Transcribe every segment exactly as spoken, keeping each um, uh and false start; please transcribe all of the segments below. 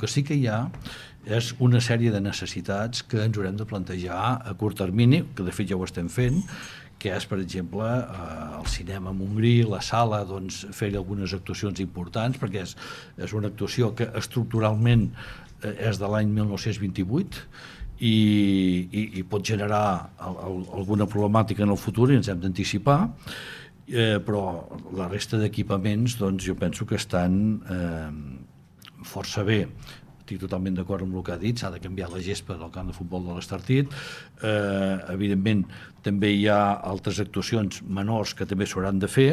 El que sí que hi ha és una sèrie de necessitats que ens haurem de plantejar a curt termini, que de fet ja ho estem fent, que és, per exemple, el cinema a Montgrí, la sala, doncs, fer-hi algunes actuacions importants, perquè és, és una actuació que estructuralment és de l'any mil nou-cents vint-i-vuit i, i, i pot generar el, el, alguna problemàtica en el futur i ens hem d'anticipar, eh, però la resta d'equipaments, doncs, jo penso que estan eh, força bé. Estic totalment d'acord amb el que ha dit, s'ha de canviar la gespa del camp de futbol de l'Estartit. Eh, evidentment, també hi ha altres actuacions menors que també s'hauran de fer,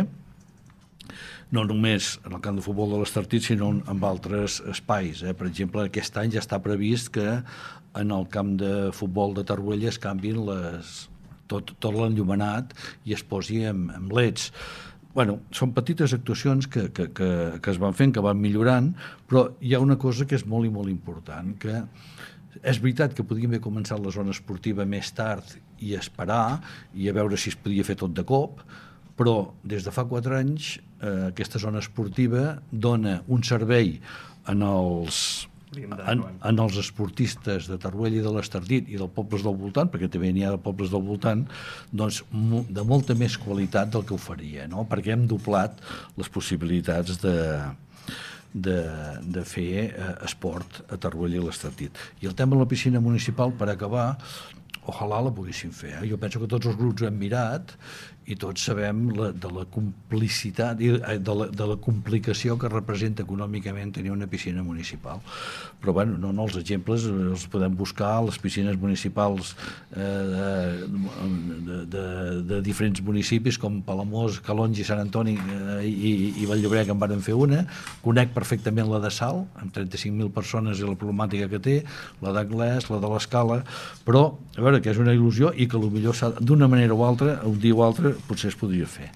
no només en el camp de futbol de l'Estartit, sinó en altres espais. Eh? Per exemple, aquest any ja està previst que en el camp de futbol de Torroella es canvin les, tot, tot l'enllumenat i es posi amb, amb leds. Bueno, són petites actuacions que, que, que, que es van fent, que van millorant, però hi ha una cosa que és molt i molt important, que és veritat que podíem haver començat la zona esportiva més tard i esperar i a veure si es podia fer tot de cop, però des de fa quatre anys eh, aquesta zona esportiva dona un servei en els, en, en els esportistes de Torroella i de l'Estartit i dels pobles del voltant, perquè també n'hi ha de pobles del voltant, doncs de molta més qualitat del que ho faria, no? Perquè hem doblat les possibilitats de, de, de fer eh, esport a Torroella i l'Estartit. I el tema de la piscina municipal, per acabar, ojalà la poguéssim fer. Eh? Jo penso que tots els grups ho hem mirat i tots sabem la, de la complicitat i de la, de la complicació que representa econòmicament tenir una piscina municipal. Però bueno, no, no els exemples els podem buscar, les piscines municipals eh, de, de, de diferents municipis com Palamós, Calonge, Sant Antoni eh, i, i Vall-llobrega en varen fer una. Conec perfectament la de Salt, amb trenta-cinc mil persones i la problemàtica que té, la d'Anglès, la de l'Escala, però a veure, que és una il·lusió i que potser d'una manera o altra, un dia o altre, potser es podria fer.